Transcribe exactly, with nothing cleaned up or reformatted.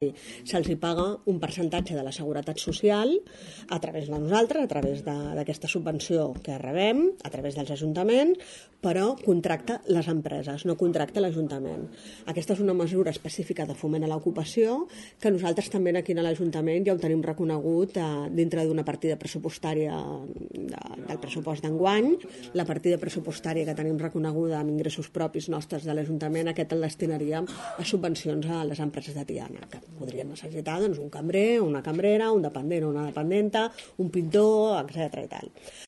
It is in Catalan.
Se'ls hi paga un percentatge de la seguretat social a través de nosaltres, a través d'aquesta subvenció que rebem, a través dels ajuntaments, però contracta les empreses, no contracta l'Ajuntament. Aquesta és una mesura específica de foment a l'ocupació que nosaltres també aquí a l'Ajuntament ja ho tenim reconegut dintre d'una partida pressupostària del pressupost d'enguany. La partida pressupostària que tenim reconeguda amb ingressos propis nostres de l'Ajuntament, aquest el destinaríem a subvencions a les empreses de Tiana, que podríem necessitar doncs, un cambrer, una cambrera, un dependent o una dependenta, un pintor, etcètera i tal.